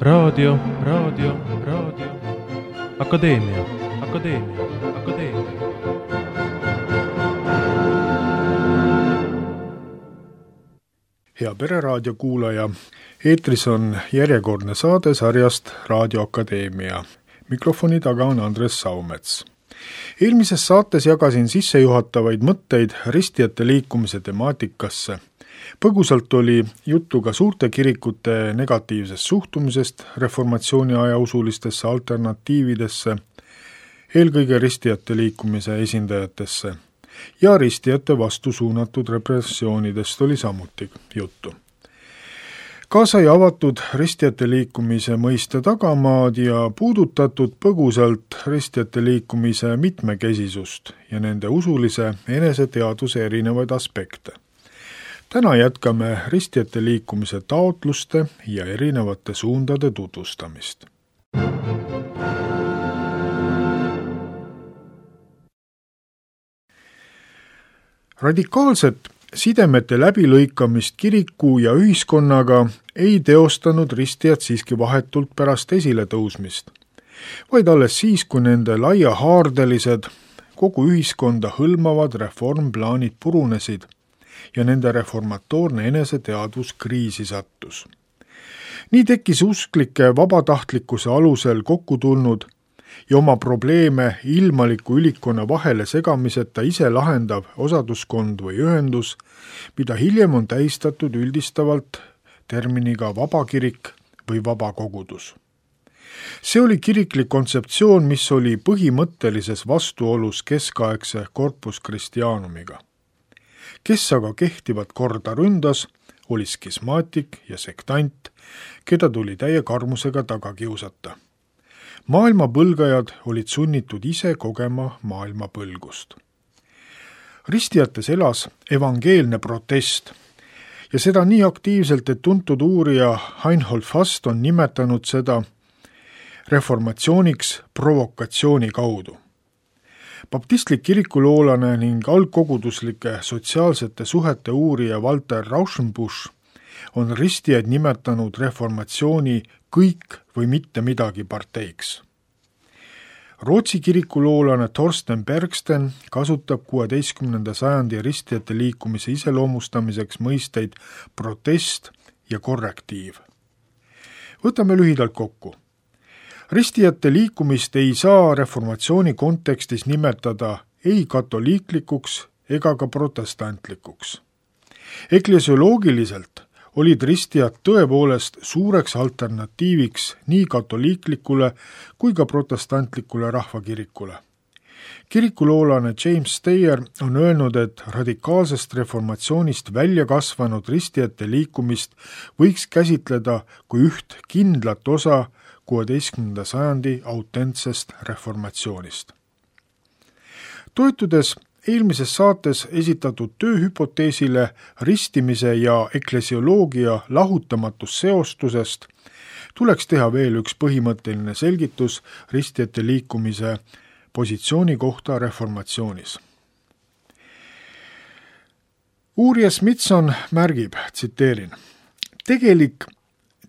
Raadio. Akadeemia. Hea Pereraadio kuulaja, eetris on järjekordne saade sarjast Raadio Akadeemia. Mikrofoni taga on Andres Saumets. Eelmises saates jagasin sissejuhatavaid mõtteid ristijate liikumise temaatikasse. Põgusalt oli juttu ka suurte kirikute negatiivsest suhtumisest reformatsiooni aja usulistesse alternatiividesse, eelkõige ristijate liikumise esindajatesse, ja ristijate vastu suunatud repressioonidest oli samuti juttu. Ka sai avatud ristijate liikumise mõiste tagamaad ja puudutatud põgusalt ristijate liikumise mitmekesisust ja nende usulise eneseteaduse erinevaid aspekte. Täna jätkame ristijate liikumise taotluste ja erinevate suundade tutvustamist. Radikaalset sidemete läbilõikamist kiriku ja ühiskonnaga ei teostanud ristijad siiski vahetult pärast esiletõusmist, vaid alles siis, kui nende laiahaardelised, kogu ühiskonda hõlmavad reformplaanid purunesid ja nende reformatoorne eneseteadvus kriisi sattus. Nii tekkis usklike vabatahtlikkuse alusel kokku tulnud ja oma probleeme ilmaliku ülikonna vahele segamiseta ise lahendav osaduskond või ühendus, mida hiljem on tähistatud üldistavalt terminiga vabakirik või vabakogudus. See oli kiriklik kontseptsioon, mis oli põhimõttelises vastuolus keskaegse Corpus Christianumiga. Kes aga kehtivat korda ründas, oli skismaatik ja sektant, keda tuli täie karmusega taga kiusata. Maailma põlgajad olid sunnitud ise kogema maailma põlgust. Ristijates elas evangeelne protest ja seda nii aktiivselt, et tuntud uurija Reinhold Fast on nimetanud seda reformatsiooniks provokatsiooni kaudu. Baptistlik kirikuloolane ning algkoguduslike sotsiaalsete suhete uurija Walter Rauschenbusch on ristijaid nimetanud reformatsiooni kõik või mitte midagi parteiks. Rootsi kirikuloolane Thorsten Bergsten kasutab 16. sajandi ristijate liikumise iseloomustamiseks mõisteid protest ja korrektiiv. Võtame lühidalt kokku. Ristijate liikumist ei saa reformatsiooni kontekstis nimetada ei katoliiklikuks ega ka protestantlikuks. Eklesioloogiliselt olid ristijad tõepoolest suureks alternatiiviks nii katoliiklikule kui ka protestantlikule rahvakirikule. Kirikuloolane James Steyer on öelnud, et radikaalsest reformatsioonist välja kasvanud ristijate liikumist võiks käsitleda kui üht kindlat osa 16. sajandi autentsest reformatsioonist. Toetudes eelmises saates esitatud tööhüpoteesile ristimise ja eklesioloogia lahutamatus seostusest, tuleks teha veel üks põhimõtteline selgitus ristijate liikumise positsiooni kohta reformatsioonis. Uurija Smithson märgib, tsiteerin, tegelik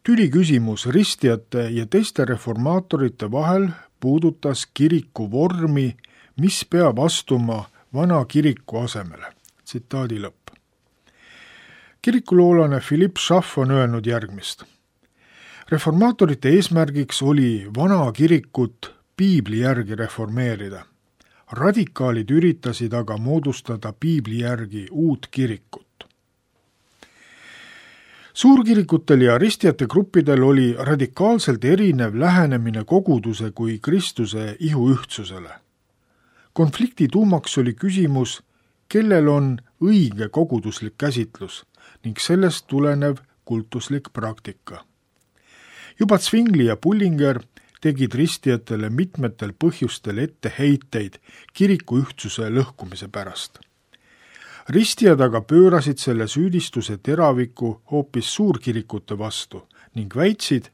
tüliküsimus ristijate ja teiste reformaatorite vahel puudutas kiriku vormi, mis peab astuma vana kiriku asemele. Tsitaadi lõpp. Kirikuloolane Philipp Schaff on öelnud järgmist. Reformaatorite eesmärgiks oli vana kirikut piibli järgi reformeerida. Radikaalid üritasid aga moodustada piibli järgi uut kirikut. Suurkirikutel ja ristijate gruppidel oli radikaalselt erinev lähenemine koguduse kui Kristuse ihuühtsusele. Konflikti tuumaks oli küsimus, kellel on õige koguduslik käsitlus ning sellest tulenev kultuslik praktika. Juba Zwingli ja Bullinger tegid ristijatele mitmetel põhjustel etteheiteid kiriku ühtsuse lõhkumise pärast. Ristijad aga pöörasid selle süüdistuse teraviku hoopis suurkirikute vastu ning väitsid,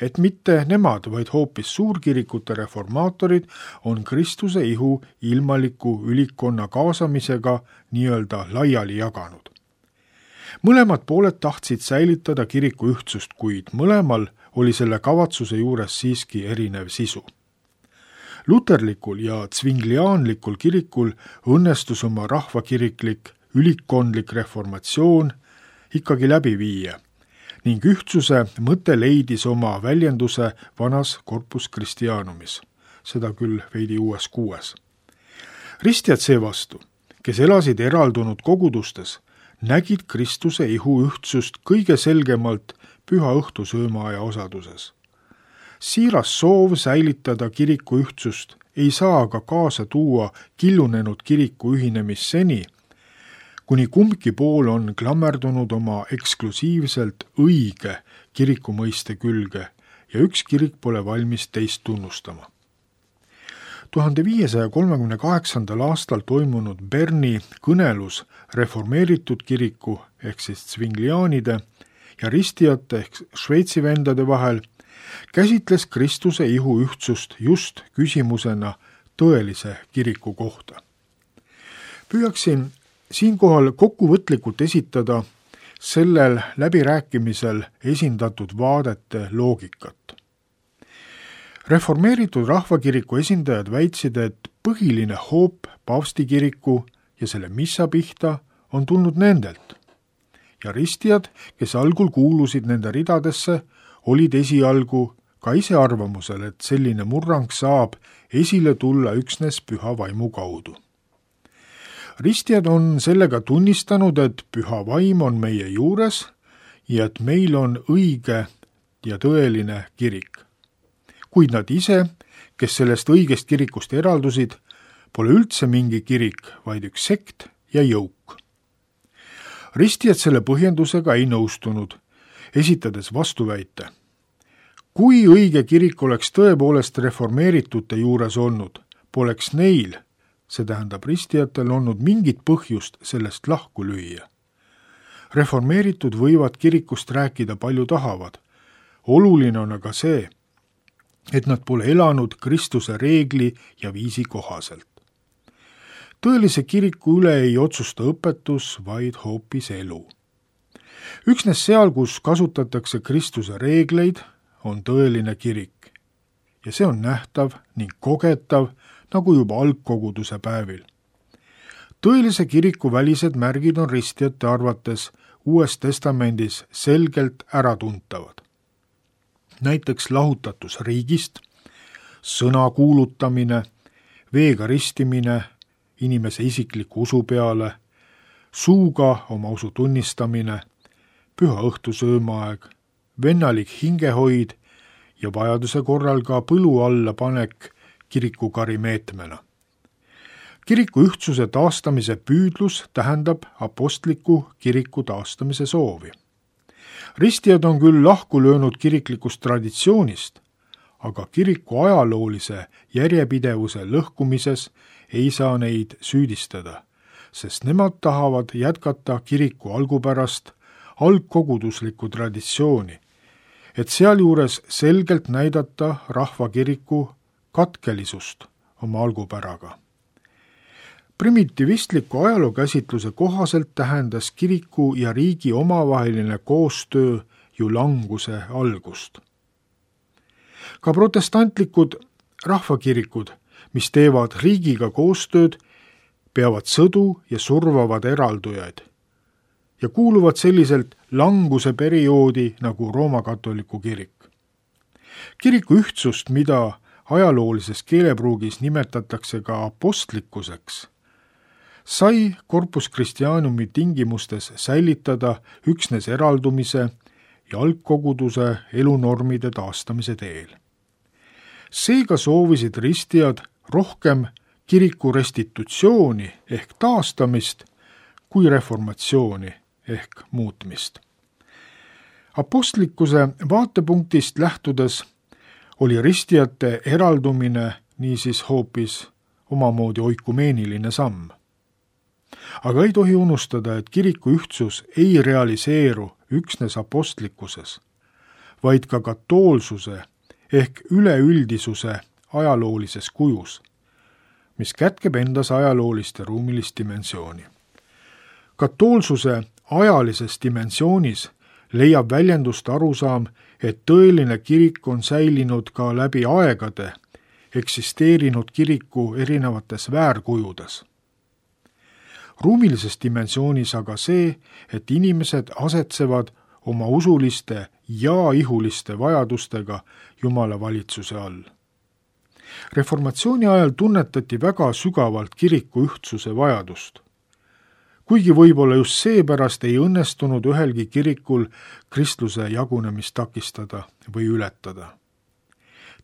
et mitte nemad, vaid hoopis suurkirikute reformaatorid on Kristuse ihu ilmaliku ülikonna kaasamisega nii-öelda laiali jaganud. mõlemad pooled tahtsid säilitada kiriku ühtsust, kuid mõlemal oli selle kavatsuse juures siiski erinev sisu. Luterlikul ja Zwingliaanlikul kirikul õnnestus oma rahvakiriklik ülikkondlik reformatsioon ikkagi läbi viia ning ühtsuse mõte leidis oma väljenduse vanas Corpus Christianumis, seda küll veidi uues kuues. Ristjad seevastu, kes elasid eraldunud kogudustes, nägid Kristuse ihu ühtsust kõige selgemalt püha õhtusöömaaja osaduses. Siiras soov säilitada kiriku ühtsust ei saa aga kaasa tuua killunenud kiriku ühinemist seni, kuni kumbki pool on klammerdunud oma eksklusiivselt õige kiriku mõiste külge ja üks kirik pole valmis teist tunnustama. 1538. aastal toimunud Berni kõnelus reformeeritud kiriku ehk siis Zwingliaanide ja ristijate ehk Šveitsi vendade vahel käsitles Kristuse ihu ühtsust just küsimusena tõelise kiriku kohta. Püüaksin siinkohal kokkuvõtlikult esitada sellel läbirääkimisel esindatud vaadete loogikat. Reformeeritud rahvakiriku esindajad väitsid, et põhiline hoop paavstikiriku ja selle missa pihta on tulnud nendelt. Ja ristijad, kes algul kuulusid nende ridadesse, olid esialgu ka ise arvamusel, et selline murrang saab esile tulla üksnes püha vaimu kaudu. Ristjad on sellega tunnistanud, et püha vaim on meie juures ja et meil on õige ja tõeline kirik. Kuid nad ise, kes sellest õigest kirikust eraldusid, pole üldse mingi kirik, vaid üks sekt ja jõuk. Ristjad selle põhjendusega ei nõustunud, esitades vastuväite. Kui õige kirik oleks tõepoolest reformeeritute juures olnud, poleks neil, see tähendab ristijatel, olnud mingit põhjust sellest lahku lüüa. Reformeeritud võivad kirikust rääkida palju tahavad. Oluline on aga see, et nad pole elanud Kristuse reegli ja viisi kohaselt. Tõelise kiriku üle ei otsusta õpetus, vaid hoopis elu. Üksnes seal, kus kasutatakse Kristuse reegleid, on tõeline kirik ja see on nähtav ning kogetav nagu juba algkoguduse päevil. Tõelise kiriku välised märgid on ristjate arvates Uues Testamendis selgelt äratuntavad. Näiteks lahutatus riigist, sõna kuulutamine, veega ristimine inimese isikliku usu peale, suuga oma usu tunnistamine, püha õhtusöömaaeg, vennalik hingehoid ja vajaduse korral ka põlu alla panek kirikukari meetmena. Kiriku ühtsuse taastamise püüdlus tähendab apostliku kiriku taastamise soovi. Ristijad on küll lahku löönud kiriklikust traditsioonist, aga kiriku ajaloolise järjepidevuse lõhkumises ei saa neid süüdistada, sest nemad tahavad jätkata kiriku algupärast algkoguduslikku traditsiooni, et sealjuures selgelt näidata rahvakiriku katkelisust oma algupäraga. Primitivistliku ajalookäsitluse kohaselt tähendas kiriku ja riigi omavaheline koostöö ju languse algust. Ka protestantlikud rahvakirikud, mis teevad riigiga koostööd, peavad sõdu ja survavad eraldujaid ja kuuluvad selliselt languse perioodi nagu Rooma-katoliku kirik. Kiriku ühtsust, mida ajaloolises keelepruugis nimetatakse ka apostlikkuseks, sai Corpus Christianumi tingimustes säilitada üksnes eraldumise ja algkoguduse elunormide taastamise teel. Seega soovisid ristijad rohkem kiriku restitutsiooni ehk taastamist kui reformatsiooni ehk muutmist. Apostlikkuse vaatepunktist lähtudes oli ristijate eraldumine niisiis hoopis omamoodi oikumeeniline samm. Aga ei tohi unustada, et kiriku ühtsus ei realiseeru üksnes apostlikkuses, vaid ka katoolsuse ehk üleüldisuse ajaloolises kujus, mis kätkeb endas ajaloolist ja ruumilist dimensiooni. Katoolsuse ajalises dimensioonis leiab väljendust arusaam, et tõeline kirik on säilinud ka läbi aegade, eksisteerinud kiriku erinevates väärkujudes. Ruumilises dimensioonis aga see, et inimesed asetsevad oma usuliste ja ihuliste vajadustega Jumala valitsuse all. Reformatsiooni ajal tunnetati väga sügavalt kiriku ühtsuse vajadust. Kuigi võib-olla just seepärast ei õnnestunud ühelgi kirikul kristluse jagunemist takistada või ületada.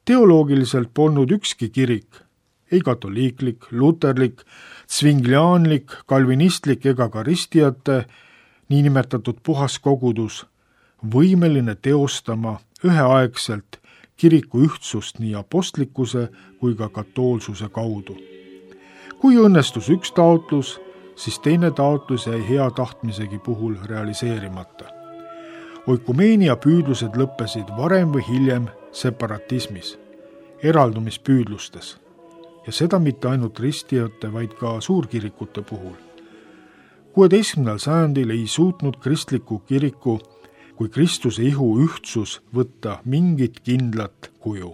Teoloogiliselt polnud ükski kirik, ei katoliiklik, luterlik, svingliaanlik, kalvinistlik ega ka ristijate niinimetatud puhas kogudus võimeline teostama üheaegselt kiriku ühtsust nii apostlikkuse kui ka katoolsuse kaudu. Kui õnnestus üks taotlus, siis teine taotlus jäi hea tahtmisegi puhul realiseerimata. Oikumeenia püüdlused lõppesid varem või hiljem separatismis, eraldumispüüdlustes, ja seda mitte ainult ristijate, vaid ka suurkirikute puhul. 16. sajandil ei suutnud kristliku kiriku kui Kristuse ihu ühtsus võtta mingit kindlat kuju.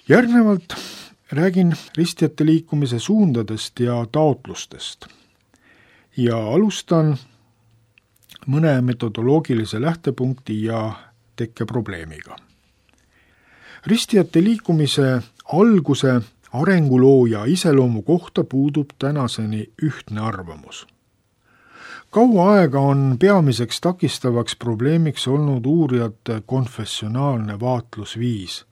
Järgnevalt räägin ristijate liikumise suundadest ja taotlustest ja alustan mõne metodoloogilise lähtepunkti ja tekkeprobleemiga. Ristijate liikumise alguse, arenguloo ja iseloomu kohta puudub tänaseni ühtne arvamus. Kaua aega on peamiseks takistavaks probleemiks olnud uurijate konfessionaalne vaatlusviis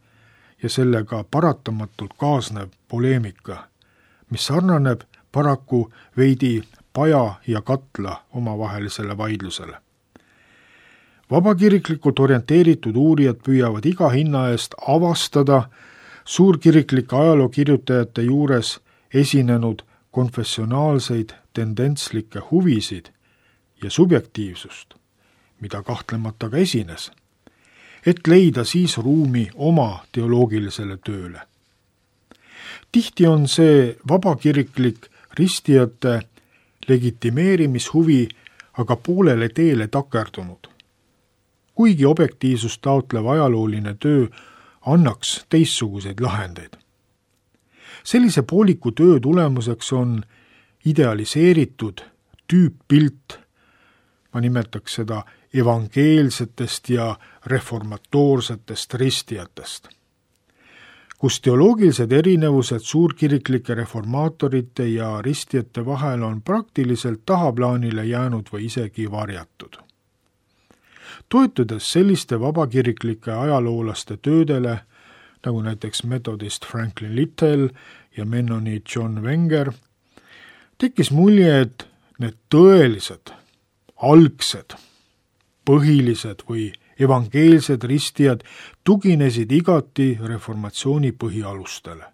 ja sellega paratamatult kaasnev poleemika, mis sarnaneb paraku veidi paja ja katla omavahelisele vaidlusele. Vabakiriklikult orienteeritud uurijad püüavad iga hinna eest avastada suurkiriklike ajalookirjutajate juures esinenud konfessionaalseid tendentslikke huvisid ja subjektiivsust, mida kahtlemata ka esines, et leida siis ruumi oma teoloogilisele tööle. Tihti on see vabakiriklik ristijate legitimeerimishuvi aga poolele teele takerdunud. Kuigi objektiivsust taotlev ajalooline töö annaks teistsuguseid lahendeid. Sellise pooliku töö tulemuseks on idealiseeritud tüüppilt, ma nimetaks seda evangeelsetest ja reformatoorsetest ristijatest. kus teoloogilised erinevused suurkiriklike reformaatorite ja ristijate vahel on praktiliselt tahaplaanile jäänud või isegi varjatud. Toetudes selliste vabakiriklike ajaloolaste töödele, nagu näiteks metodist Franklin Little ja mennoniit John Wenger, tekkis mulje, et need tõelised, algsed, põhilised või evangeelsed ristijad tuginesid igati reformatsiooni põhialustele.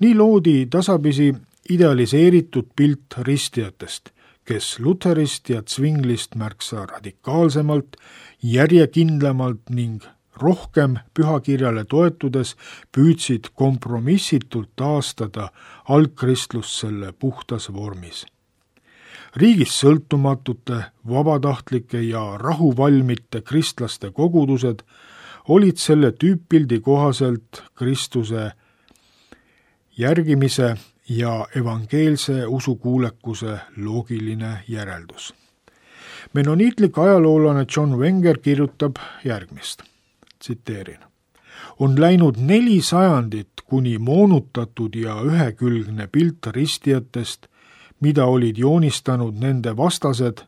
Nii loodi tasapisi idealiseeritud pilt ristijatest, kes Lutherist ja Zwinglist märksa radikaalsemalt, järjekindlamalt ning rohkem pühakirjale toetudes püüdsid kompromissitult taastada algkristlust selle puhtas vormis. Riigist sõltumatute, vabatahtlike ja rahuvalmite kristlaste kogudused olid selle tüüppildi kohaselt Kristuse järgimise ja evangeelse usukuulekuse loogiline järeldus. Mennoniitlik ajaloolane John Wenger kirjutab järgmist, tsiteerin. On läinud 4 sajandit, kuni moonutatud ja ühekülgne pilt ristijatest, mida olid joonistanud nende vastased,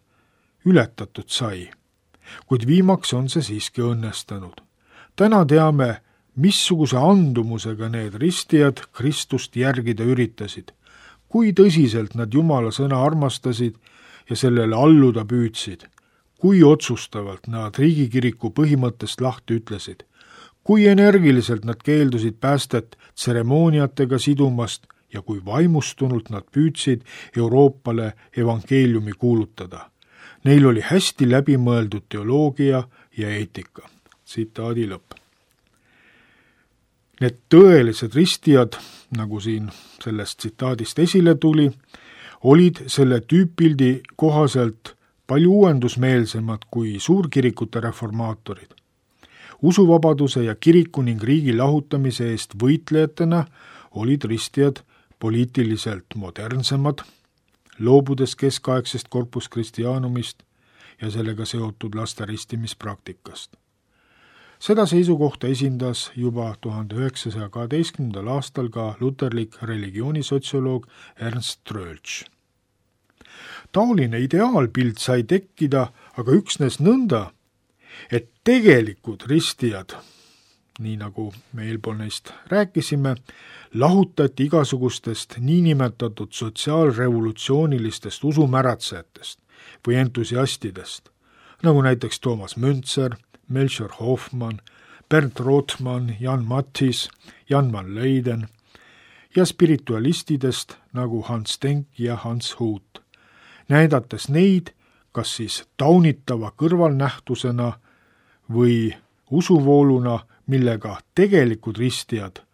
ületatud sai. Kuid viimaks on see siiski õnnestunud. Täna teame, missuguse andumusega need ristijad Kristust järgida üritasid, kui tõsiselt nad Jumala sõna armastasid ja sellele alluda püüdsid, kui otsustavalt nad riigikiriku põhimõttest lahti ütlesid, kui energiliselt nad keeldusid päästet tseremooniatega sidumast ja kui vaimustunult nad püüdsid Euroopale evangeeliumi kuulutada. Neil oli hästi läbimõeldud teoloogia ja eetika. Tsitaadi lõpp. Need tõelised ristijad, nagu siin sellest tsitaadist esile tuli, olid selle tüüppildi kohaselt palju uuendusmeelsemad kui suurkirikute reformaatorid. Usuvabaduse ja kiriku ning riigi lahutamise eest võitlejatena olid ristijad poliitiliselt modernsemad, loobudes keskaegsest Corpus Christianumist ja sellega seotud laste ristimispraktikast. Seda seisukohta esindas juba 1912. aastal ka luterlik religioonisotsioloog Ernst Troeltsch. Taoline ideaalpilt sai tekkida aga üksnes nõnda, et tegelikud ristijad, nii nagu me eelpool neist rääkisime, lahutati igasugustest niinimetatud sotsiaalrevolutsioonilistest usumäratsejatest või entusiastidest, nagu näiteks Toomas Müntzer, Melchior Hoffmann, Bernd Rothmann, Jan Matthis, Jan van Leyden ja spiritualistidest nagu Hans Denk ja Hans Hut, näidates neid kas siis taunitava kõrvalnähtusena või usuvooluna, millega tegelikud ristijad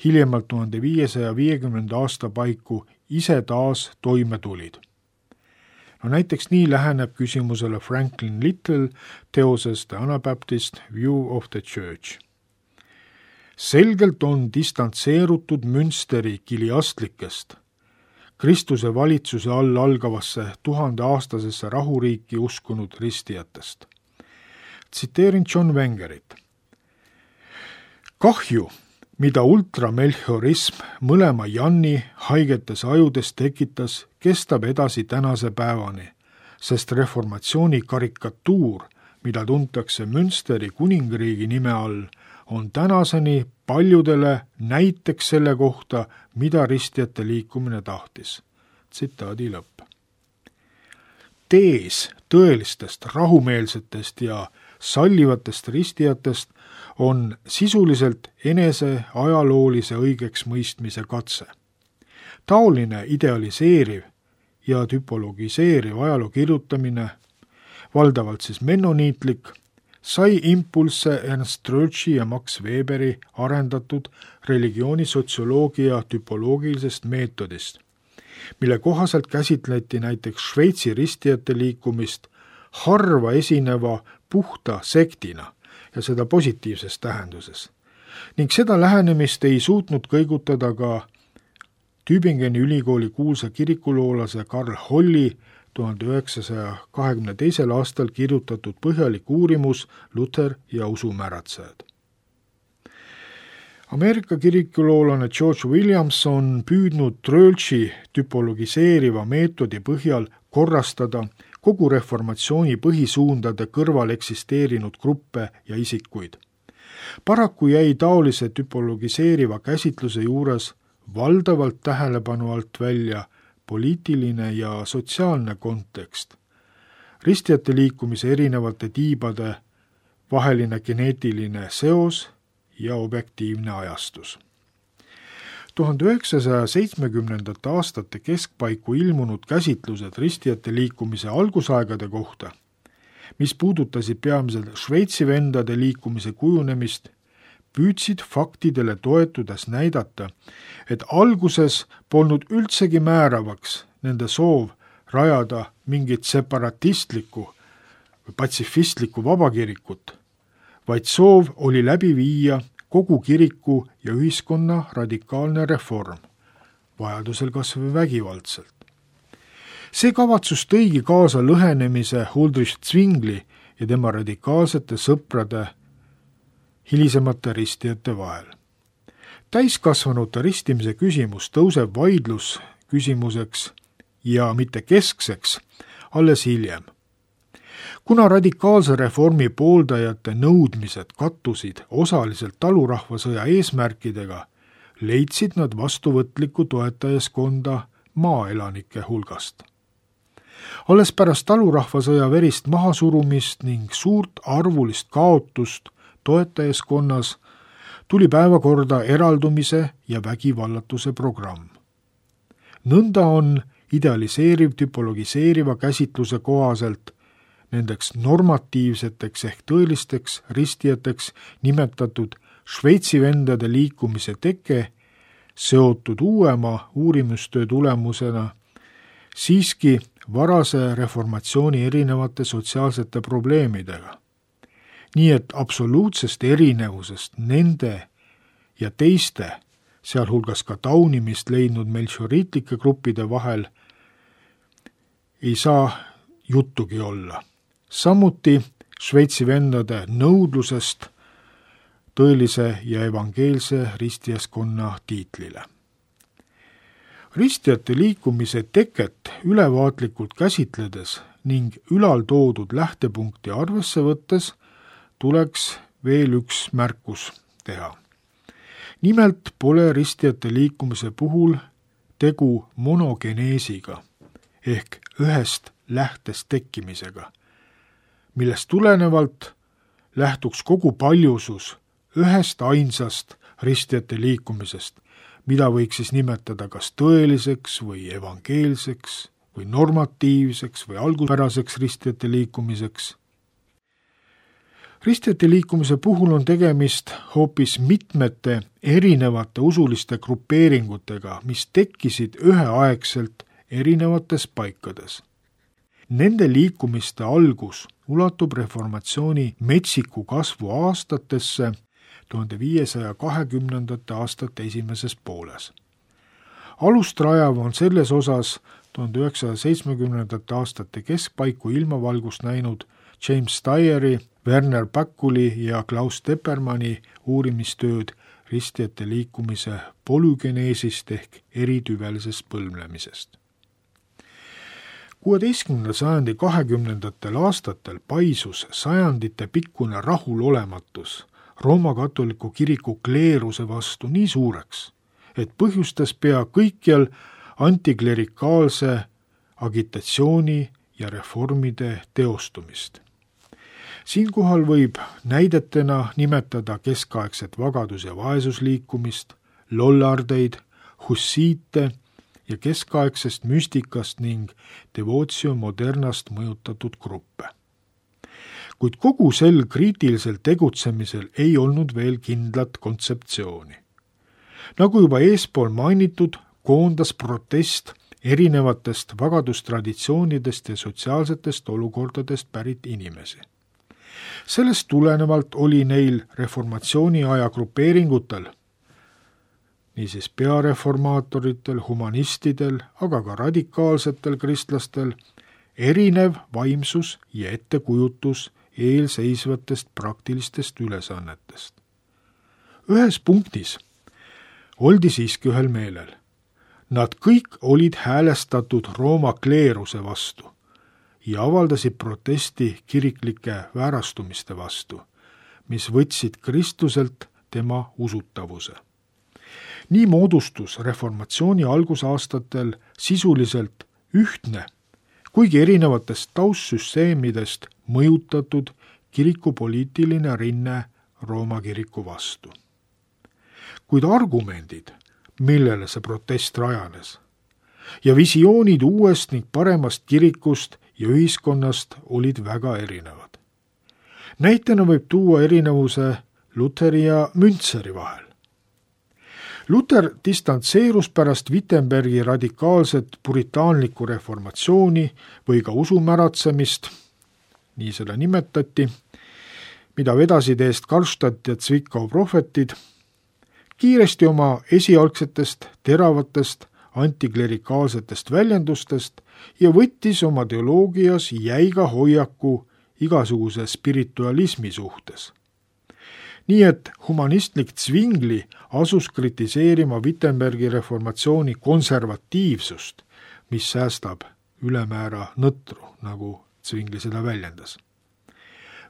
hiljemalt 1550. aasta paiku ise taas toime tulid. No näiteks nii läheneb küsimusele Franklin Little teoses The Anabaptist View of the Church. Selgelt on distantseerutud Münsteri kiliastlikest, Kristuse valitsuse all algavasse 1000-aastasesse rahuriiki uskunud ristijatest. Tsiteerin John Wengerit. Kahju, mida ultramelchiorism mõlema Janni haigetes ajudes tekitas, kestab edasi tänase päevani, sest reformatsiooni karikatuur, mida tuntakse Münsteri kuningriigi nime all, on tänaseni paljudele näiteks selle kohta, mida ristijate liikumine tahtis. Tsitaadi lõpp. Tees tõelistest, rahumeelsetest ja sallivatest ristijatest on sisuliselt enese ajaloolise õigeks mõistmise katse. Taoline idealiseeriv ja typologiseeriv ajaloo kirjutamine, valdavalt siis mennoniitlik, sai impulsse Ernst Troeltši ja Max Weberi arendatud religioonisotsioloogia typoloogilisest meetodist, mille kohaselt käsitleti näiteks Šveitsi ristijate liikumist harva esineva puhta sektina ja seda positiivses tähenduses. Ning seda lähenemist ei suutnud kõigutada ka Tübingeni ülikooli kuulsa kirikuloolase Karl Holli 1922. aastal kirjutatud põhjalik uurimus Luther ja usumäratsejad. Ameerika kirikuloolane George Williams on püüdnud Tröltši tüpologiseeriva meetodi põhjal korrastada kogu reformatsiooni põhisuundade kõrval eksisteerinud gruppe ja isikuid. Paraku jäi taolise tüpologiseeriva käsitluse juures valdavalt tähelepanu alt välja poliitiline ja sotsiaalne kontekst, ristijate liikumise erinevate tiibade vaheline geneetiline seos ja objektiivne ajastus. 1970. aastate keskpaiku ilmunud käsitlused ristijate liikumise algusaegade kohta, mis puudutasid peamiselt Šveitsi vendade liikumise kujunemist, püüdsid faktidele toetudes näidata, et alguses polnud üldsegi määravaks nende soov rajada mingit separatistlikku või patsifistlikku vabakirikut, vaid soov oli läbi viia kogu kiriku ja ühiskonna radikaalne reform, vajadusel kas või vägivaldselt. See kavatsus tõigi kaasa lõhenemise Huldrych Zwingli ja tema radikaalsete sõprade hilisemate ristijate vahel. Täiskasvanute ristimise küsimus tõuseb vaidlus küsimuseks ja mitte keskseks alles hiljem. Kuna radikaalse reformi pooldajate nõudmised kattusid osaliselt talurahvasõja eesmärkidega, leidsid nad vastuvõtlikku toetajaskonda maaelanike hulgast. Alles pärast talurahvasõja verist mahasurumist ning suurt arvulist kaotust toetajaskonnas tuli päevakorda eraldumise ja vägivallatuse programm. Nõnda on idealiseeriv tüpologiseeriva käsitluse kohaselt nendeks normatiivseteks ehk tõelisteks ristijateks nimetatud Šveitsi vendade liikumise teke seotud uuema uurimustöö tulemusena siiski varase reformatsiooni erinevate sotsiaalsete probleemidega. Nii et absoluutsest erinevusest nende ja teiste, sealhulgas ka taunimist leidnud melchioriitlike gruppide vahel, ei saa juttugi olla. Samuti Šveitsi vendade nõudlusest tõelise ja evangeelse ristijaskonna tiitlile. Ristijate liikumise teket ülevaatlikult käsitledes ning ülaltoodud lähtepunkti arvesse võttes tuleks veel üks märkus teha. Nimelt pole ristijate liikumise puhul tegu monogeneesiga ehk ühest lähtest tekkimisega, millest tulenevalt lähtuks kogu paljusus ühest ainsast ristijate liikumisest, mida võiks siis nimetada kas tõeliseks või evangeelseks või normatiivseks või alguspäraseks ristijate liikumiseks. Ristijate liikumise puhul on tegemist hoopis mitmete erinevate usuliste grupeeringutega, mis tekkisid üheaegselt erinevates paikades. Nende liikumiste algus ulatub reformatsiooni metsiku kasvu aastatesse 1520. aastate esimeses pooles. Alust rajav on selles osas 1970. aastate keskpaiku ilmavalgust näinud James Steyeri, Werner Backuli ja Klaus Teppermanni uurimistööd ristijate liikumise polügeneesist ehk eritüvelisest põlvnemisest. 16. sajandi 20. aastatel paisus sajandite pikkune rahulolematus Rooma katoliku kiriku kleeruse vastu nii suureks, et põhjustas pea kõikjal antiklerikaalse agitatsiooni ja reformide teostumist. Siinkohal võib näidetena nimetada keskaegset vagadus- ja vaesusliikumist, lollardeid, hussiite ja keskaegsest müstikast ning devootio modernast mõjutatud gruppe. Kuid kogu sel kriitilisel tegutsemisel ei olnud veel kindlat kontseptsiooni. Nagu juba eespool mainitud, koondas protest erinevatest vagadustraditsioonidest ja sotsiaalsetest olukordadest pärit inimesi. Sellest tulenevalt oli neil reformatsiooni aja grupeeringutel, niisiis peareformaatoritel, humanistidel, aga ka radikaalsetel kristlastel, erinev vaimsus ja ettekujutus eelseisvatest praktilistest ülesannetest. Ühes punktis oldi siiski ühel meelel. Nad kõik olid häälestatud Rooma kleeruse vastu ja avaldasid protesti kiriklike väärastumiste vastu, mis võtsid Kristuselt tema usutavuse. Nii moodustus reformatsiooni algusaastatel sisuliselt ühtne, kuigi erinevatest taustsüsteemidest mõjutatud kirikupoliitiline rinne Rooma kiriku vastu. Kuid argumendid, millele see protest rajanes, ja visioonid uuest ning paremast kirikust ja ühiskonnast olid väga erinevad. Näitena võib tuua erinevuse Luteri ja Müntseri vahel. Luter distantseerus pärast Wittenbergi radikaalset puritaanlikku reformatsiooni või ka usumäratsemist, nii seda nimetati, mida vedasid eest Karlstadt ja Zwickau prohvetid, kiiresti oma esialgsetest teravatest antiklerikaalsetest väljendustest ja võttis oma teoloogias jäiga hoiaku igasuguse spiritualismi suhtes. Nii et humanistlik Zwingli asus kritiseerima Wittenbergi reformatsiooni konservatiivsust, mis säästab ülemäära nõtru, nagu Zwingli seda väljendas.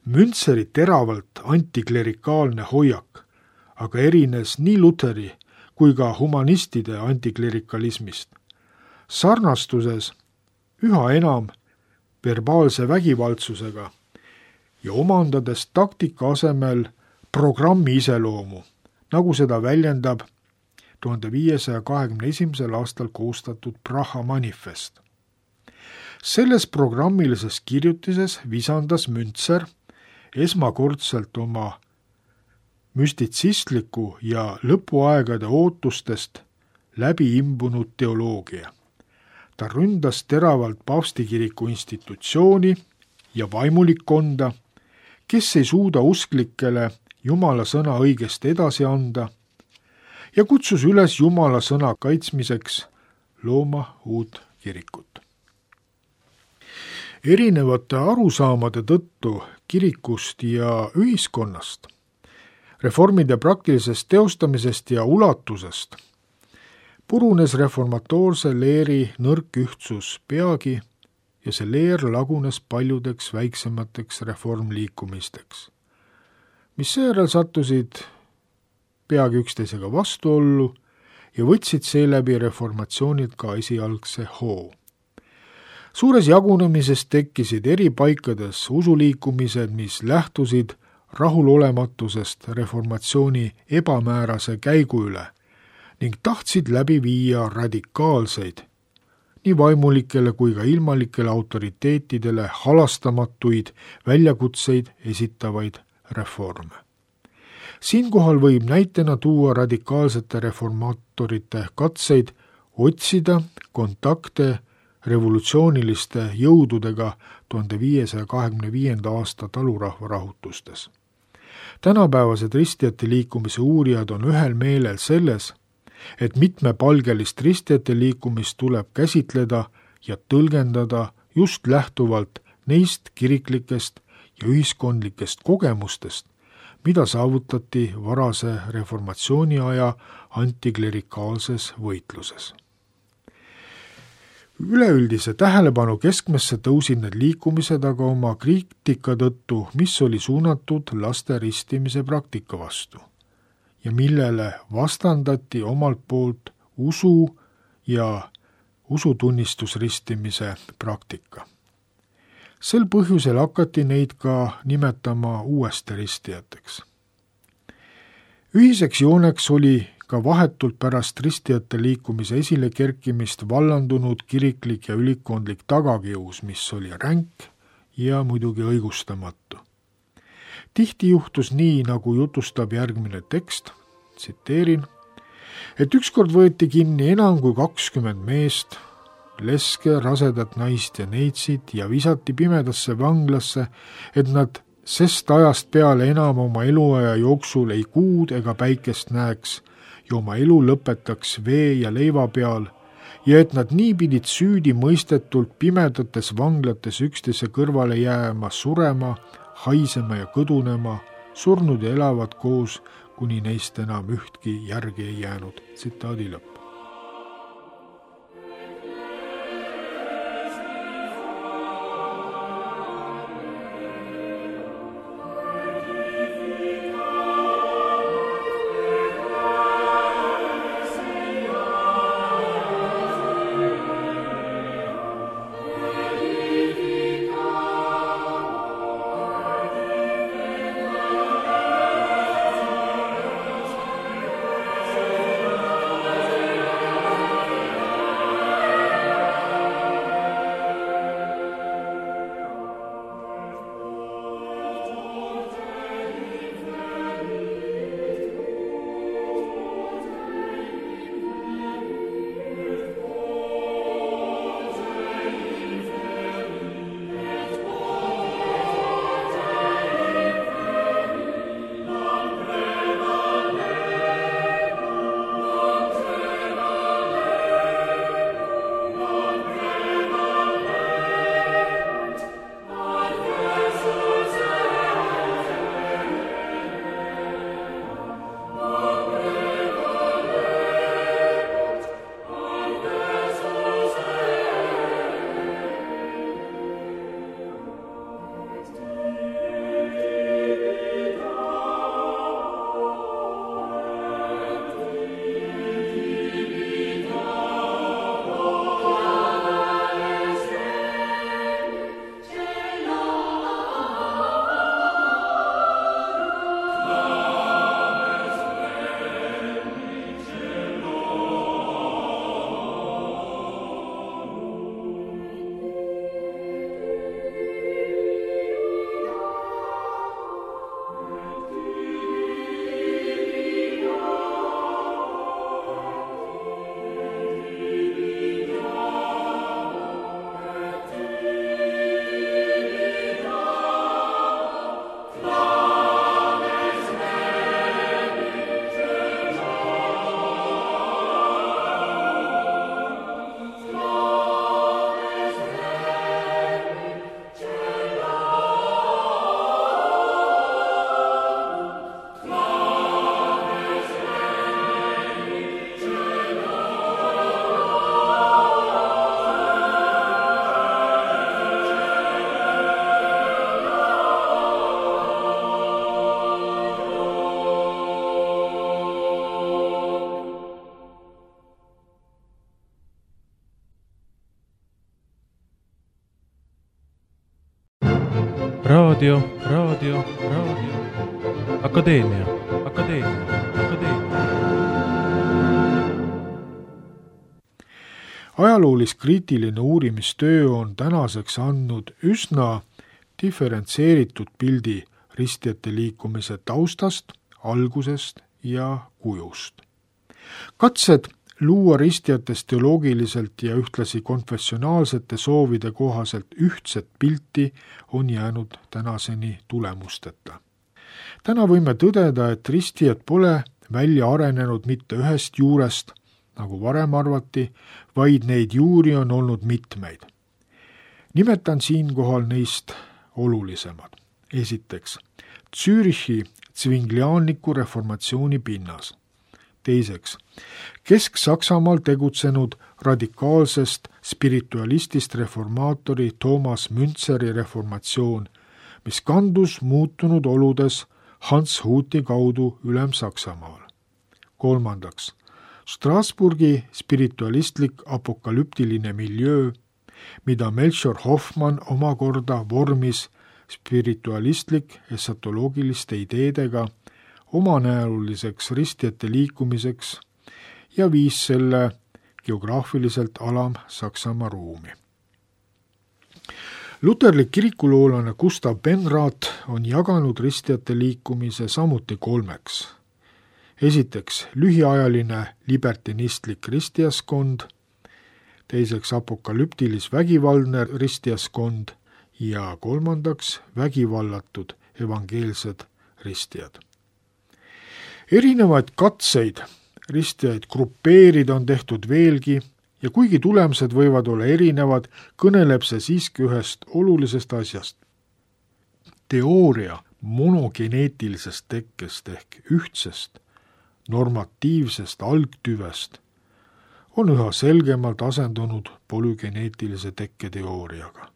Müntseri teravalt antiklerikaalne hoiak aga erines nii Luteri kui ka humanistide antiklerikalismist, sarnastuses üha enam verbaalse vägivaldsusega ja omandades taktika asemel programmi iseloomu, nagu seda väljendab 1521. aastal koostatud Praha manifest. Selles programmilises kirjutises visandas Müntser esmakordselt oma müstitsistliku ja lõpuaegade ootustest läbi imbunud teoloogia. Ta ründas teravalt paavstikiriku institutsiooni ja vaimulikkonda, kes ei suuda usklikele Jumala sõna õigesti edasi anda ja kutsus üles Jumala sõna kaitsmiseks looma uut kirikut. Erinevate arusaamade tõttu kirikust ja ühiskonnast, reformide praktilisest teostamisest ja ulatusest purunes reformatoorse leeri nõrk ühtsus peagi ja see leer lagunes paljudeks väiksemateks reformliikumisteks, mis seejärel sattusid peagi üksteisega vastuollu ja võtsid seeläbi reformatsioonid ka esialgse hoo. Suures jagunemises tekkisid eri paikades usuliikumised, mis lähtusid rahulolematusest reformatsiooni ebamäärase käigu üle ning tahtsid läbi viia radikaalseid, nii vaimulikele kui ka ilmalikele autoriteetidele halastamatuid väljakutseid esitavaid reforme. Siinkohal võib näitena tuua radikaalsete reformaatorite katseid otsida kontakte revolutsiooniliste jõududega 1525. aasta talurahva rahutustes. Tänapäevased ristijate liikumise uurijad on ühel meelel selles, et mitmepalgelist ristijate liikumist tuleb käsitleda ja tõlgendada just lähtuvalt neist kiriklikest ja ühiskondlikest kogemustest, mida saavutati varase reformatsiooni aja antiklerikaalses võitluses. Üleüldise tähelepanu keskmesse tõusid need liikumised aga oma kriitika tõttu, mis oli suunatud laste ristimise praktika vastu ja millele vastandati omalt poolt usu ja usutunnistusristimise praktika. Sel põhjusel hakati neid ka nimetama uuesti ristijateks. Ühiseks jooneks oli ka vahetult pärast ristijate liikumise esile kerkimist vallandunud kiriklik ja ülikondlik tagakius, mis oli ränk ja muidugi õigustamatu. Tihti juhtus nii, nagu jutustab järgmine tekst, tsiteerin, et ükskord võeti kinni enam kui 20 meest, leske, rasedat naist ja neitsid ja visati pimedasse vanglasse, et nad sest ajast peale enam oma eluaja jooksul ei kuud ega päikest näeks ja oma elu lõpetaks vee ja leiva peal ja et nad nii pidid süüdi mõistetult pimedates vanglates üksteise kõrvale jääma, surema, haisema ja kõdunema, surnud ja elavad koos, kuni neist enam ühtki järgi ei jäänud. Tsitaadi lõpp. Raadio. Akadeemia. Ajaloolis-kriitiline uurimistöö on tänaseks andnud üsna diferentseeritud pildi ristijate liikumise taustast, algusest ja kujust. Katsed luua ristijatest teoloogiliselt ja ühtlasi konfessionaalsete soovide kohaselt ühtset pilti on jäänud tänaseni tulemusteta. Täna võime tõdeda, et ristijad pole välja arenenud mitte ühest juurest, nagu varem arvati, vaid neid juuri on olnud mitmeid. Nimetan siinkohal neist olulisemad. Esiteks, Zürichi zwingliaanliku reformatsiooni pinnas. Teiseks, Kesk-Saksamaal tegutsenud radikaalsest spiritualistist reformaatori Thomas Münzeri reformatsioon, mis kandus muutunud oludes Hans Huti kaudu Ülem-Saksamaal. Kolmandaks, Strasburgi spiritualistlik apokalüptiline miljöö, mida Melchior Hoffmann omakorda vormis spiritualistlik esatoloogiliste ideedega omanäoliseks ristijate liikumiseks ja viis selle geograafiliselt Alam-Saksamaa ruumi. Luterlik kirikuloolane Gustav Benrath on jaganud ristijate liikumise samuti kolmeks. Esiteks lühiajaline libertinistlik ristijaskond, teiseks apokalüptilis-vägivaldne ristijaskond ja kolmandaks vägivallatud evangeelsed ristijad. Erinevaid katseid ristijaid grupeerida on tehtud veelgi ja kuigi tulemused võivad olla erinevad, kõneleb see siiski ühest olulisest asjast. Teooria monogeneetilisest tekkest ehk ühtsest normatiivsest algtüvest on üha selgemalt asendunud polügeneetilise tekketeooriaga.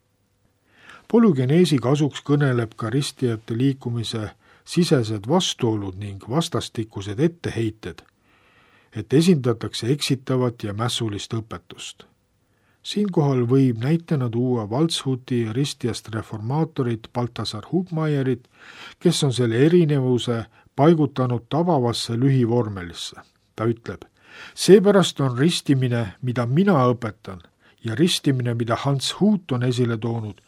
Polügeneesi kasuks kõneleb ka ristijate liikumise sisesed vastuolud ning vastastikused etteheited, et esindatakse eksitavat ja mässulist õpetust. Siinkohal võib näitena tuua Waldshuti ristijast reformaatorit Balthasar Hubmeierit, kes on selle erinevuse paigutanud tabavasse lühivormelisse. Ta ütleb, seepärast on ristimine, mida mina õpetan, ja ristimine, mida Hans Hut on esile toonud,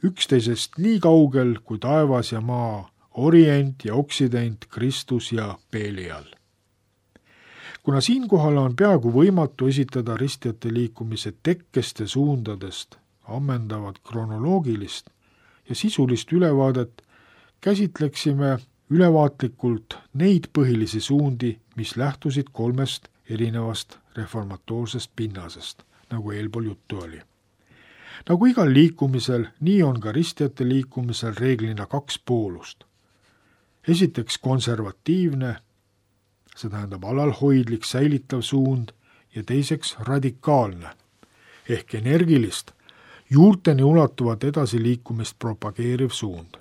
üksteisest nii kaugel kui taevas ja maa, orient ja oksident, Kristus ja Belial. Kuna siinkohal on peaaegu võimatu esitada ristijate liikumise tekkest ja suundadest ammendavat kronoloogilist ja sisulist ülevaadet, käsitleksime ülevaatlikult neid põhilisi suundi, mis lähtusid 3 erinevast reformatoorsest pinnasest, nagu eelpool juttu oli. Nagu igal liikumisel, nii on ka ristijate liikumisel reeglina 2 poolust. Esiteks konservatiivne, see tähendab alalhoidlik, säilitav suund, ja teiseks radikaalne ehk energilist, juurteni ulatuvat edasiliikumist propageeriv suund.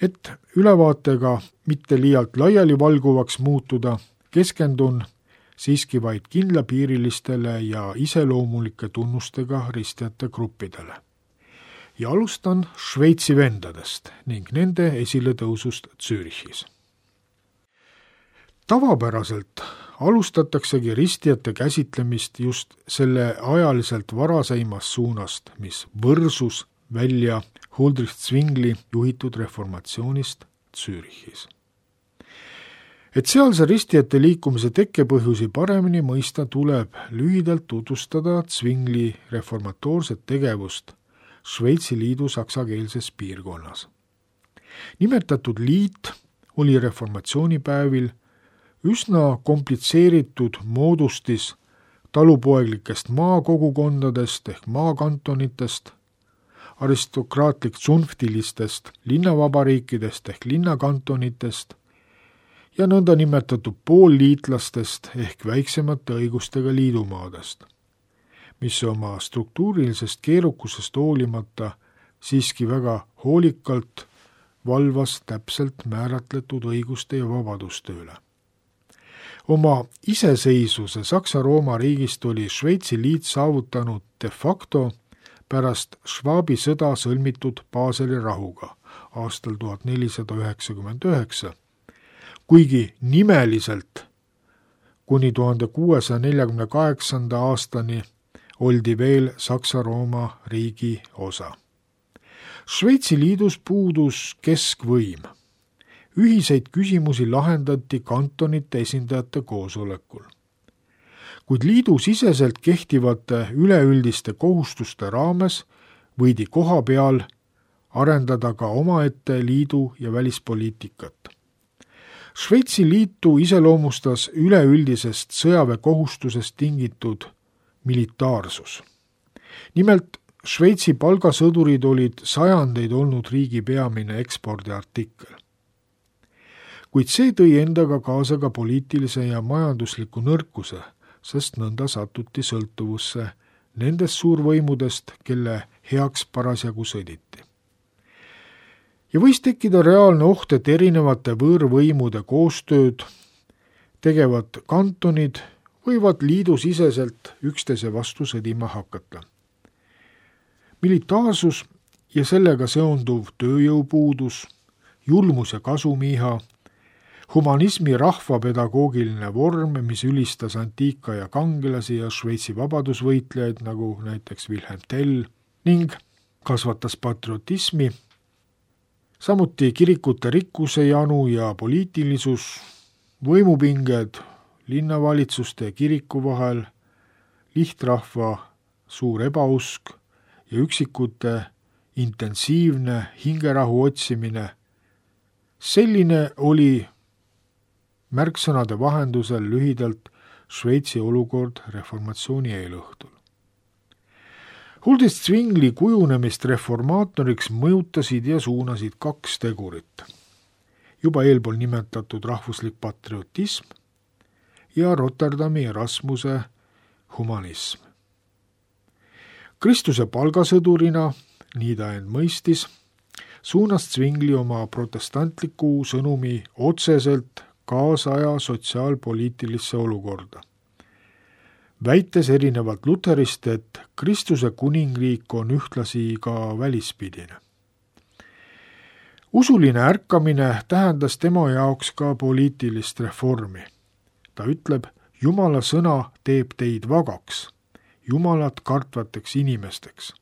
Et ülevaatega mitte liialt laiali valguvaks muutuda, keskendun siiski vaid kindlapiirilistele ja iseloomulike tunnustega ristijate gruppidele. Ja alustan Šveitsi vendadest ning nende esiletõusust Zürichis. Tavapäraselt alustataksegi ristijate käsitlemist just selle ajaliselt varaseimast suunast, mis võrsus välja Huldrych Zwingli juhitud reformatsioonist Zürichis. Et sealse ristijate liikumise tekkepõhjusi paremini mõista, tuleb lühidalt tutvustada Zwingli reformatoorset tegevust Šveitsi liidu saksakeelses piirkonnas. Nimetatud liit oli reformatsioonipäevil üsna komplitseeritud moodustis talupoeglikest maakogukondadest ehk maakantonitest, aristokraatlik tsunftilistest linnavabariikidest ehk linnakantonitest ja nõnda nimetatud poolliitlastest ehk väiksemate õigustega liidumaadest, mis oma struktuurilisest keerukusest hoolimata siiski väga hoolikalt valvas täpselt määratletud õiguste ja vabaduste üle. Oma iseseisvuse Saksa-Rooma riigist oli Šveitsi liit saavutanud de facto pärast Schwabi sõda sõlmitud Baseli rahuga aastal 1499, kuigi nimeliselt kuni 1648. aastani oldi veel Saksa-Rooma riigi osa. Šveitsi liidus puudus keskvõim. Ühiseid küsimusi lahendati kantonite esindajate koosolekul. Kuid liidu siseselt kehtivate üleüldiste kohustuste raames võidi koha peal arendada ka omaette liidu ja välispoliitikat. Šveitsi liitu iseloomustas üleüldisest sõjaväekohustusest tingitud militaarsus. Nimelt, Šveitsi palgasõdurid olid sajandeid olnud riigi peamine ekspordiartikkel. Kuid see tõi endaga kaasa ka poliitilise ja majandusliku nõrkuse, sest nõnda satuti sõltuvusse nendest suurvõimudest, kelle heaks parasjagu sõditi. Ja võis tekkida reaalne oht, et erinevate võõrvõimude koostööd tegevad kantonid võivad liidusiseselt üksteise vastu sõdima hakata. Militaarsus ja sellega seonduv tööjõupuudus, julmus ja kasumiiha, humanismi rahvapedagoogiline vorm, mis ülistas antiika ja kangelasi ja Šveitsi vabadusvõitlejaid, nagu näiteks Wilhelm Tell, ning kasvatas patriotismi, samuti kirikute rikkuse janu ja poliitilisus, võimupinged linnavalitsuste ja kiriku vahel, lihtrahva suur ebausk ja üksikute intensiivne hingerahu otsimine. Selline oli märksõnade vahendusel lühidalt Šveitsi olukord reformatsiooni eelõhtul. Huldist Zwingli kujunemist reformaatoriks mõjutasid ja suunasid 2 tegurit. Juba eelpool nimetatud rahvuslik patriotism ja Rotterdami Erasmuse humanism. Kristuse palgasõdurina, nii ta end mõistis, suunas Zwingli oma protestantliku sõnumi otseselt kaasaja sotsiaalpoliitilisse olukorda, väites erinevalt Lutherist, et Kristuse kuningriik on ühtlasi ka välispidine. Usuline ärkamine tähendas tema jaoks ka poliitilist reformi. Ta ütleb, Jumala sõna teeb teid vagaks, Jumalat kartvateks inimesteks.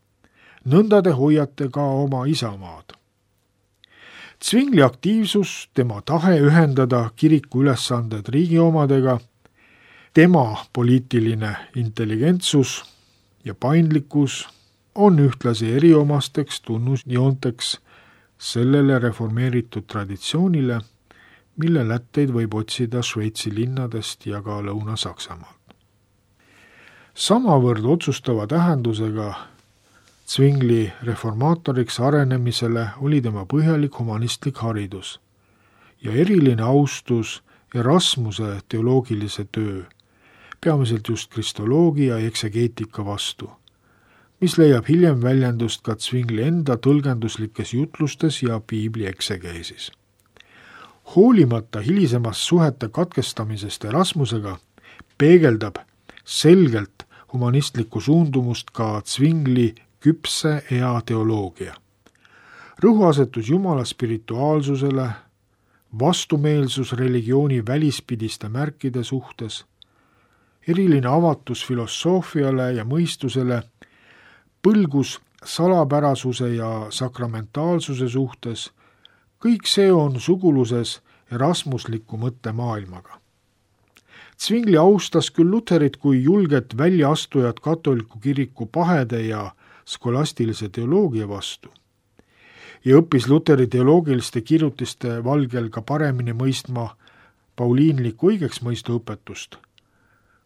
Nõnda te hoiate ka oma isamaad. Zwingli aktiivsus, tema tahe ühendada kiriku ülesanded riigi omadega, tema poliitiline intelligentsus ja paindlikkus on ühtlasi eriomasteks tunnusjoonteks sellele reformeeritud traditsioonile, mille lätteid võib otsida Šveitsi linnadest ja ka Lõuna-Saksamaalt. Samavõrd otsustava tähendusega Zwingli reformaatoriks arenemisele oli tema põhjalik humanistlik haridus ja eriline austus Erasmuse teoloogilise töö, peamiselt just kristoloogia ja eksegeetika vastu, mis leiab hiljem väljendust ka Zwingli enda tõlgenduslikes jutlustes ja piibli eksegeesis. Hoolimata hilisemast suhete katkestamisest Erasmusega peegeldab selgelt humanistlikku suundumust ka Zwingli küpse ea teoloogia. Rõhuasetus Jumala spirituaalsusele, vastumeelsus religiooni välispidiste märkide suhtes, eriline avatus filosoofiale ja mõistusele, põlgus salapärasuse ja sakramentaalsuse suhtes, kõik see on suguluses erasmusliku mõttemaailmaga. Zwingli austas küll Lutherit kui julget väljaastujat katoliku kiriku pahede ja skolastilise teoloogia vastu ja õppis Luteri teoloogiliste kirjutiste valgel ka paremini mõistma pauliinlikku õigeksmõistu õpetust,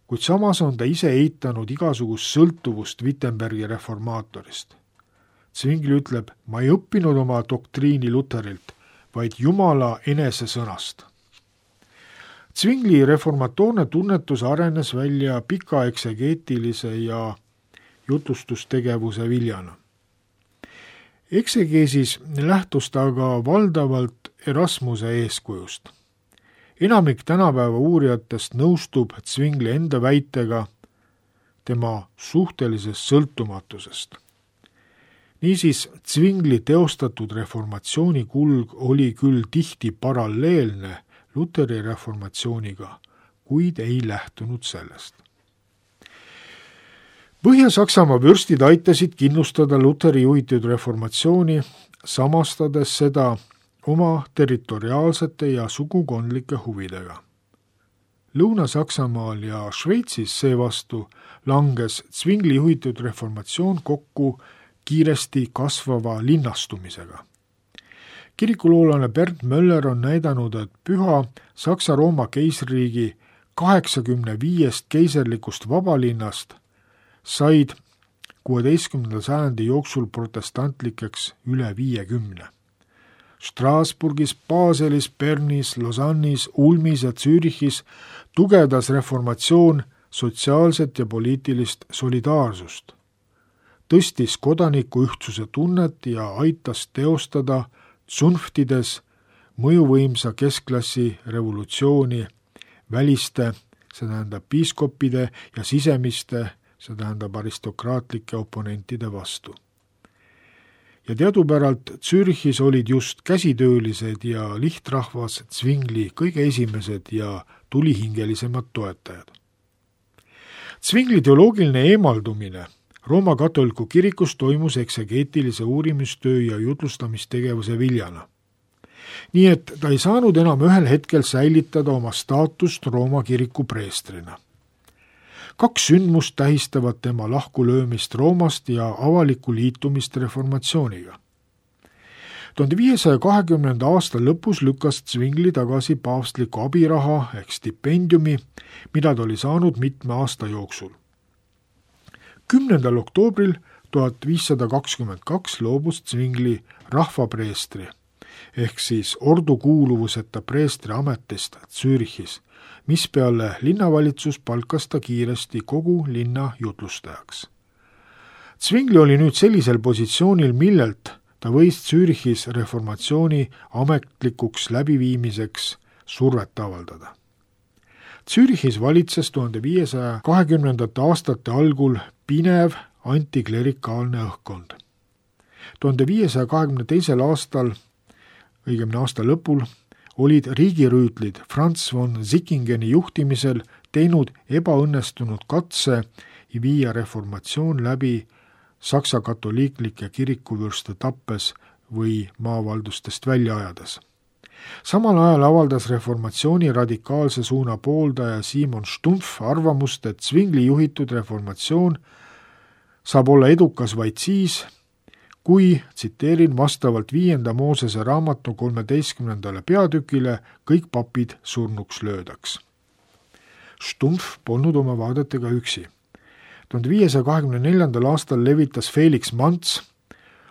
kuid samas on ta ise eitanud igasugust sõltuvust Wittenbergi reformaatorist. Zwingli ütleb, ma ei õppinud oma doktriini Luterilt, vaid Jumala enese sõnast. Zwingli reformatoorne tunnetus arenes välja pika eksegeetilise ja jutlustustegevuse viljana. Eksegeesis lähtus ta aga valdavalt Erasmuse eeskujust. Enamik tänapäeva uurijatest nõustub Zwingli enda väitega tema suhtelisest sõltumatusest. Niisiis, Zwingli teostatud reformatsiooni kulg oli küll tihti paralleelne Luteri reformatsiooniga, kuid ei lähtunud sellest. Põhja-Saksamaa vürstid aitasid kindlustada Luteri juhitud reformatsiooni, samastades seda oma territoriaalsete ja sugukondlike huvidega. Lõuna-Saksamaal ja Šveitsis seevastu langes Zwingli juhitud reformatsioon kokku kiiresti kasvava linnastumisega. Kirikuloolane Bernd Möller on näidanud, et püha Saksa-Rooma keisririigi 85 keisarlikust vabalinnast said 16. sajandi jooksul protestantlikeks üle 50. Strasbourgis, Baselis, Bernis, Lausanne'is, Ulmis ja Zürichis tugevdas reformatsioon sotsiaalset ja poliitilist solidaarsust, tõstis kodaniku ühtsuse tunnet ja aitas teostada tsunftides mõjuvõimsa keskklassi revolutsiooni väliste, see tähendab piiskopide ja sisemiste, see tähendab aristokraatlike oponentide vastu. Ja teadupäralt Zürichis olid just käsitöölised ja lihtrahvas Zwingli kõige esimesed ja tulihingelisemad toetajad. Zwingli teoloogiline eemaldumine Rooma katoliku kirikus toimus eksegeetilise uurimistöö ja jutlustamistegevuse viljana. Nii et ta ei saanud enam ühel hetkel säilitada oma staatust Rooma kiriku preestrina. 2 sündmust tähistavad tema lahkulöömist Roomast ja avalikku liitumist reformatsiooniga. 1520. aasta lõpus lükkas Zwingli tagasi paavstliku abiraha ehk stipendiumi, mida ta oli saanud mitme aasta jooksul. 10. oktoobril 1522 loobus Zwingli rahvapreestri ehk siis ordu kuuluvuseta preestri ametist Zürichis, mispeale linnavalitsus palkas ta kiiresti kogu linna jutlustajaks. Zwingli oli nüüd sellisel positsioonil, millelt ta võis Zürichis reformatsiooni ametlikuks läbiviimiseks survet avaldada. Zürichis valitses 1520. aastate algul pinev antiklerikaalne õhkkond. 1522. aastal, õigemini aasta lõpul, olid riigirüütlid Franz von Sickingeni juhtimisel teinud ebaõnnestunud katse viia reformatsioon läbi Saksa katoliiklike kirikuvürste tappes või maavaldustest välja ajades. Samal ajal avaldas reformatsiooni radikaalse suuna pooldaja Simon Stumpf arvamust, et Zwingli juhitud reformatsioon saab olla edukas vaid siis, kui, tsiteerin, vastavalt 5. Moosese raamatu 13. peatükile kõik papid surnuks löödaks. Stumpf polnud oma vaadetega üksi. 1524. aastal levitas Felix Manz,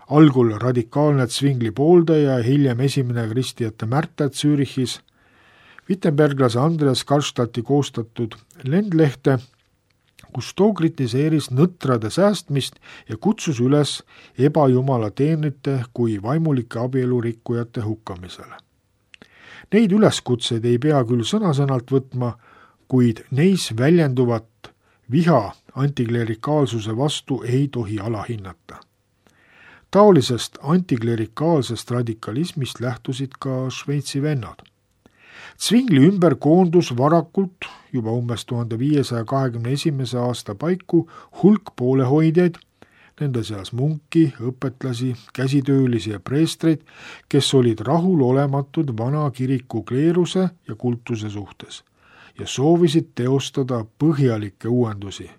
algul radikaalne Zwingli pooldaja ja hiljem esimene kristijate märter Zürichis, wittenberglase Andreas Karlstadti koostatud lendlehte, kus too kritiseeris nõtrade säästmist ja kutsus üles ebajumala teenrite kui vaimulike abielurikkujate hukkamisele. Neid üleskutseid ei pea küll sõna-sõnalt võtma, kuid neis väljenduvat viha antiklerikaalsuse vastu ei tohi alahinnata. Taolisest antiklerikaalsest radikalismist lähtusid ka Šveitsi vennad. Zwingli ümber koondus varakult juba umbes 1521. aasta paiku hulk poolehoidjaid, nende seas munki, õpetlasi, käsitöölisi ja preestreid, kes olid rahulolematud vana kiriku kleeruse ja kultuse suhtes ja soovisid teostada põhjalikke uuendusi,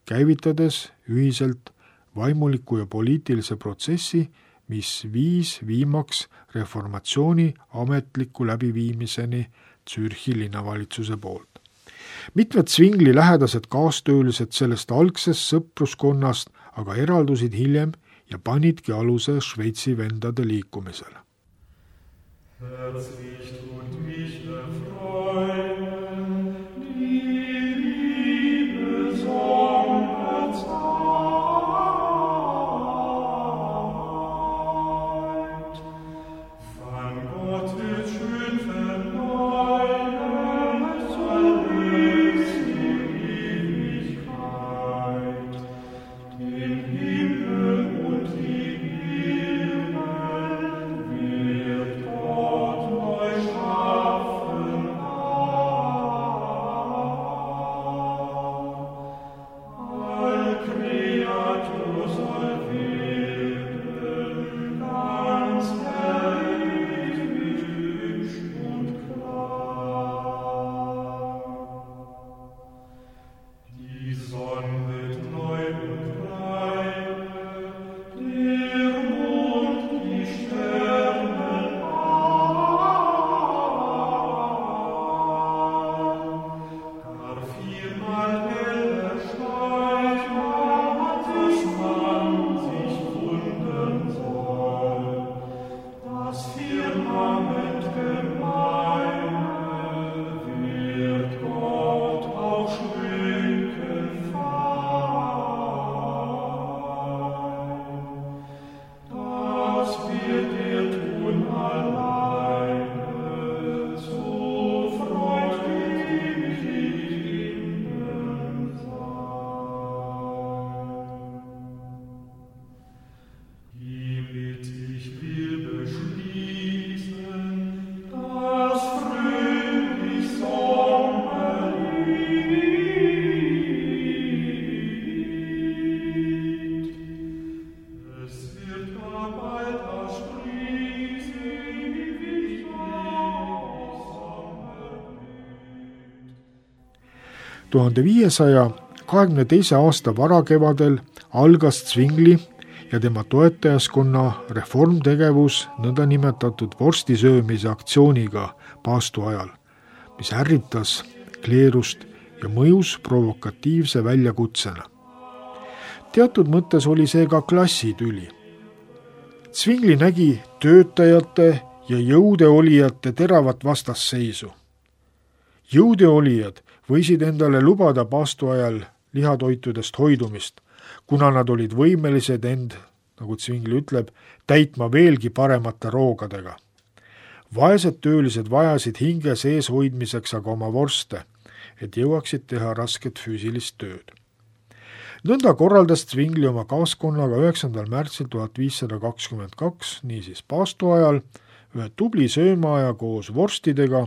käivitades ühiselt vaimuliku ja poliitilise protsessi, mis viis viimaks reformatsiooni ametliku läbiviimiseni Zürichi linnavalitsuse poolt. Mitmed Zwingli lähedased kaastöölised sellest algsest sõpruskonnast aga eraldusid hiljem ja panidki aluse Šveitsi vendade liikumisele. Tuhande 522. aasta varakevadel algas Zwingli ja tema toetajaskonna reformtegevus nõndanimetatud vorstisöömise aktsiooniga paastu ajal, mis ärritas kleerust ja mõjus provokatiivse väljakutsena. teatud mõttes oli see ka klassitüli. Zwingli nägi töötajate ja jõudeolijate teravat vastasseisu. Jõudeolijad võisid endale lubada paastu ajal lihatoitudest hoidumist, kuna nad olid võimelised end, nagu Zwingli ütleb, täitma veelgi paremate roogadega. Vaesed töölised vajasid hinge sees hoidmiseks aga oma vorste, et jõuaksid teha rasket füüsilist tööd. Nõnda korraldas Zwingli oma kaaskonnaga 9. märtsil 1522, niisiis paastu ajal, ühe tubli söömaaja koos vorstidega,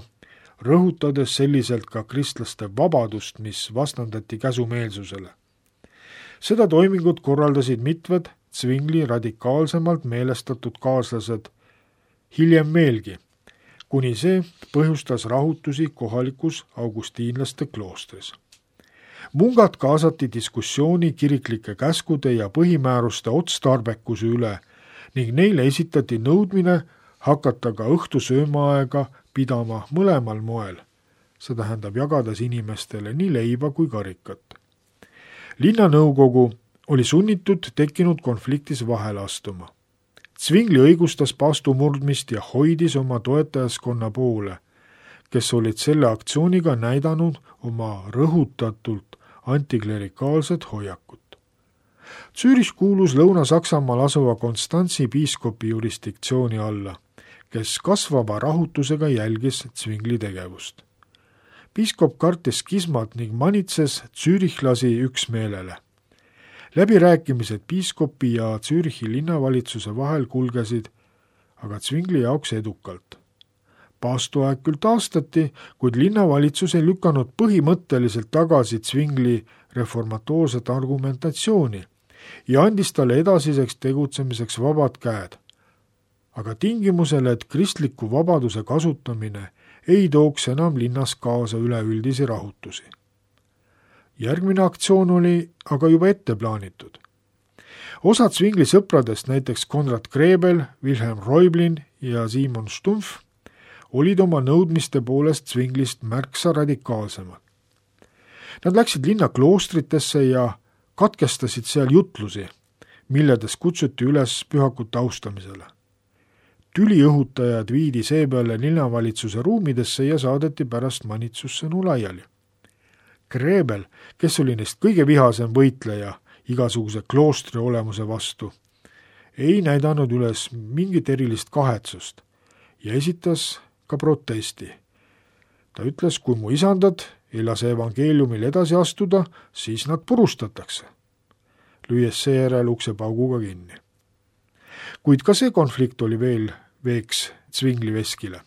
rõhutades selliselt ka kristlaste vabadust, mis vastandati käsumeelsusele. Seda toimingut korraldasid mitmed Zwingli radikaalsemalt meelestatud kaaslased hiljem meelgi, kuni see põhjustas rahutusi kohalikus augustiinlaste kloostris. Mungad kaasati diskussiooni kiriklike käskude ja põhimääruste otstarbekuse üle ning neile esitati nõudmine hakata ka õhtusöömaaega pidama mõlemal moel, see tähendab jagades inimestele nii leiba kui karikat. Linnanõukogu oli sunnitud tekkinud konfliktis vahele astuma. Zwingli õigustas paastu murdmist ja hoidis oma toetajaskonna poole, kes olid selle aktsiooniga näidanud oma rõhutatult antiklerikaalset hoiakut. Zürich kuulus Lõuna-Saksamaal asuva Konstantsi piiskopi jurisdiktsiooni alla, kes kasvava rahutusega jälgis Zwingli tegevust. Piiskop kartis skismat ning manitses züürichlasi üksmeelele. Läbirääkimised piiskopi ja Zürichi linnavalitsuse vahel kulgesid, aga Zwingli jaoks edukalt. Paastuaeg küll taastati, kuid linnavalitsus ei lükanud põhimõtteliselt tagasi Zwingli reformatoorset argumentatsiooni ja andis talle edasiseks tegutsemiseks vabad käed, aga tingimusele, et kristliku vabaduse kasutamine ei tooks enam linnas kaasa üleüldisi rahutusi. Järgmine aktsioon oli aga juba ette plaanitud. Osad Zwingli sõpradest, näiteks Konrad Grebel, Wilhelm Reublin ja Simon Stumpf, olid oma nõudmiste poolest Zwinglist märksa radikaalsemad. Nad läksid linna kloostritesse ja katkestasid seal jutlusi, milledes kutsuti üles pühakute austamisele. Tüliõhutajad viidi seepeale linnavalitsuse ruumidesse ja saadeti pärast manitsussõnu laiali. Grebel, kes oli neist kõige vihasem võitleja igasuguse kloostri olemuse vastu, ei näidanud üles mingit erilist kahetsust ja esitas ka protesti. Ta ütles, kui mu isandad ei lase evangeeliumil edasi astuda, siis nad purustatakse, lüües seejärel uksepauguga kinni. Kuid ka see konflikt oli veel veeks Zwingli veskile.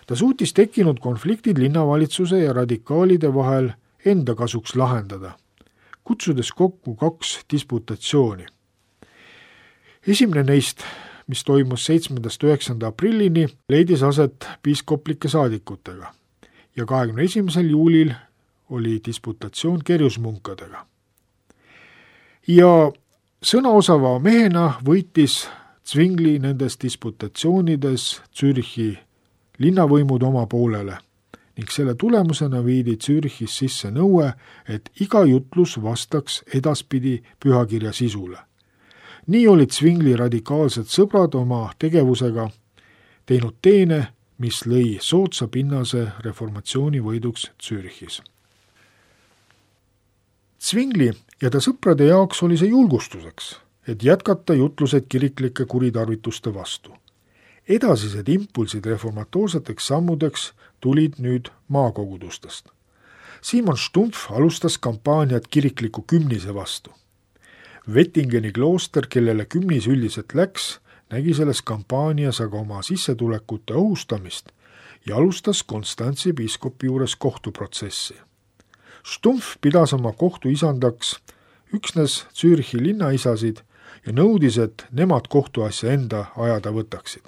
Ta suutis tekkinud konfliktid linnavalitsuse ja radikaalide vahel enda kasuks lahendada, kutsudes kokku 2 disputatsiooni. Esimene neist, mis toimus 7.–9. aprillini, leidis aset piiskoplike saadikutega ja 21. juulil oli disputatsioon kerjusmunkadega. Ja sõnaosava mehena võitis Zwingli nendes disputatsioonides Zürichi linnavõimud oma poolele ning selle tulemusena viidi Zürichis sisse nõue, et iga jutlus vastaks edaspidi pühakirja sisule. Nii olid Zwingli radikaalsed sõbrad oma tegevusega teinud teene, mis lõi soodsa pinnase reformatsiooni võiduks Zürichis. Zwingli ja ta sõprade jaoks oli see julgustuseks, et jätkata jutlused kiriklike kuritarvituste vastu. Edasised impulsid reformatoorseteks sammudeks tulid nüüd maakogudustest. Simon Stumpf alustas kampaaniat kirikliku kümnise vastu. Wettingeni klooster, kellele kümnis üldiselt läks, nägi selles kampaanias aga oma sissetulekute ohustamist ja alustas Konstantsi piiskopi juures kohtuprotsessi. Stumpf pidas oma kohtu isandaks üksnes Zürichi linnaisasid ja nõudis, et nemad kohtuasja enda ajada võtaksid.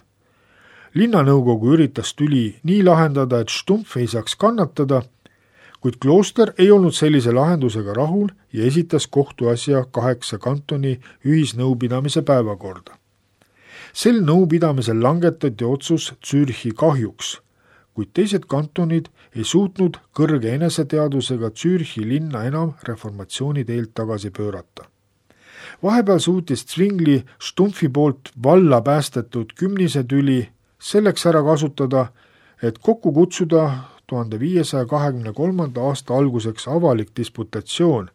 Linnanõukogu üritas tüli nii lahendada, et Stumpf ei saaks kannatada, kuid klooster ei olnud sellise lahendusega rahul ja esitas kohtuasja 8 kantoni ühisnõupidamise päevakorda. Sel nõupidamisel langetati otsus Zürichi kahjuks, kuid teised kantonid ei suutnud kõrge eneseteadusega Zürichi linna enam reformatsiooni teelt tagasi pöörata. Vahepeal suutis Zwingli Stumpfi poolt valla päästetud kümnisetüli selleks ära kasutada, et kokku kutsuda 1523. aasta alguseks avalik disputatsioon,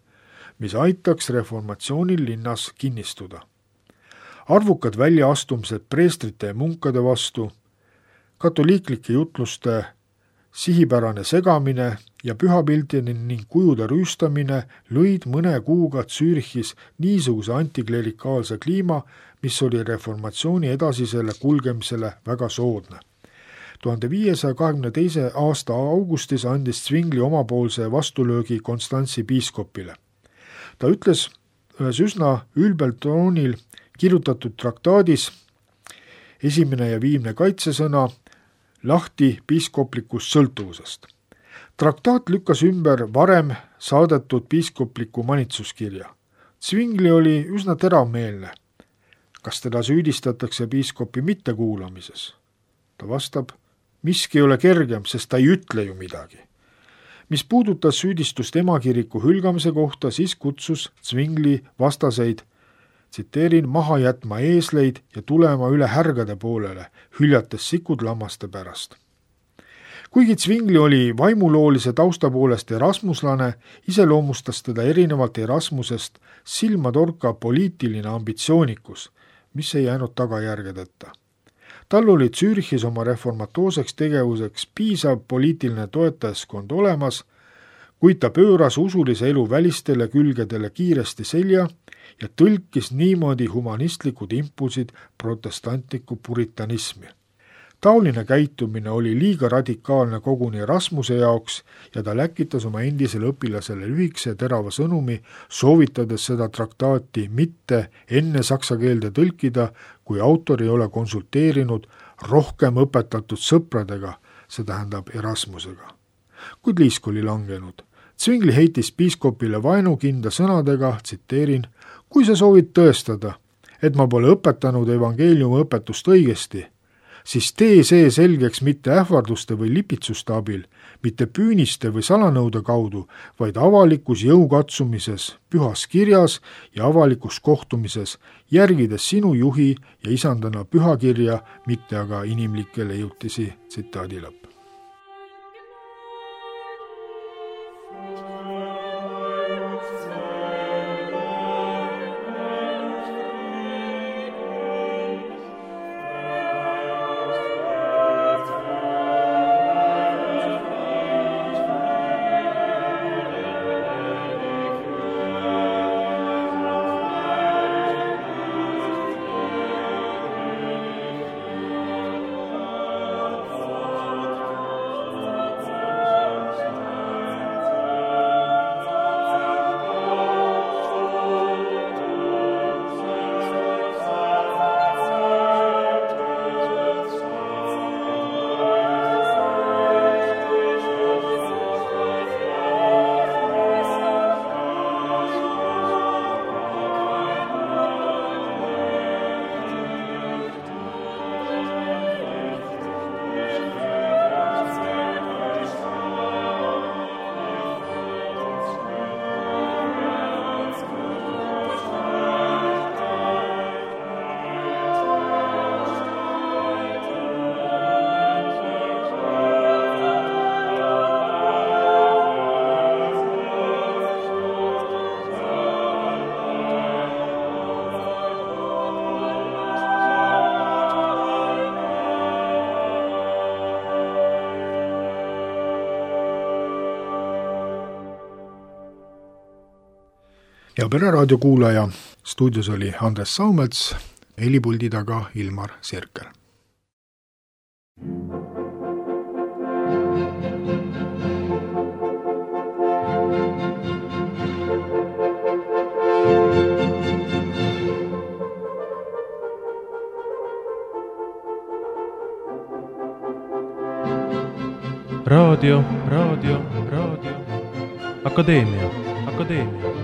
mis aitaks reformatsioonil linnas kinnistuda. Arvukad väljaastumised preestrite ja munkade vastu, katoliiklike jutluste sihipärane segamine ja pühapildini ning kujude rüüstamine lõid mõne kuuga Zürichis niisuguse antiklerikaalse kliima, mis oli reformatsiooni edasisele kulgemisele väga soodne. 1522. aasta augustis andis Zwingli omapoolse vastulöögi Konstantsi piiskopile. Ta ütles ühes üsna ülbel toonil kirjutatud traktaadis esimene ja viimne kaitsesõna lahti piiskoplikust sõltuvusest. Traktaat lükkas ümber varem saadetud piiskopliku manitsuskirja. Zwingli oli üsna teravmeelne. Kas teda süüdistatakse piiskopi mittekuulamises? Ta vastab, miski ei ole kergem, sest ta ei ütle ju midagi. Mis puudutas süüdistust emakiriku hülgamise kohta, siis kutsus Zwingli vastaseid, tsiteerin, maha jätma eesleid ja tulema üle härgade poolele, hüljates sikud lammaste pärast. Kuigi Zwingli oli vaimuloolise tausta poolest erasmuslane, iseloomustas teda erinevalt Erasmusest silmatorka poliitiline ambitsioonikus, mis ei jäänud tagajärgedeta. Tal oli Zürichis oma reformatoorseks tegevuseks piisav poliitiline toetajaskond olemas, kuid ta pööras usulise elu välistele külgedele kiiresti selja ja tõlkis niimoodi humanistlikud impulsid protestantliku puritanismi. Taoline käitumine oli liiga radikaalne koguni Erasmuse jaoks ja ta läkitas oma endisele õpilasele lühikese terava sõnumi, soovitades seda traktaati mitte enne saksa keelde tõlkida, kui autor ei ole konsulteerinud rohkem õpetatud sõpradega, see tähendab Erasmusega. Kuid liisk oli langenud. Zwingli heitis piiskopile vaenukinda sõnadega, tsiteerin, kui sa soovid tõestada, et ma pole õpetanud evangeeliumi õpetust õigesti, siis tee see selgeks mitte ähvarduste või lipitsuste abil, mitte püüniste või salanõude kaudu, vaid avalikus jõukatsumises, pühas kirjas ja avalikus kohtumises, järgides sinu juhi ja isandana pühakirja, mitte aga inimlikke leiutisi, tsitaadi lõpp. Ja Pere raadio kuulaja, stuudios oli Andres Saumets, helipuldi taga Ilmar Sirkel. Raadio. Akadeemia.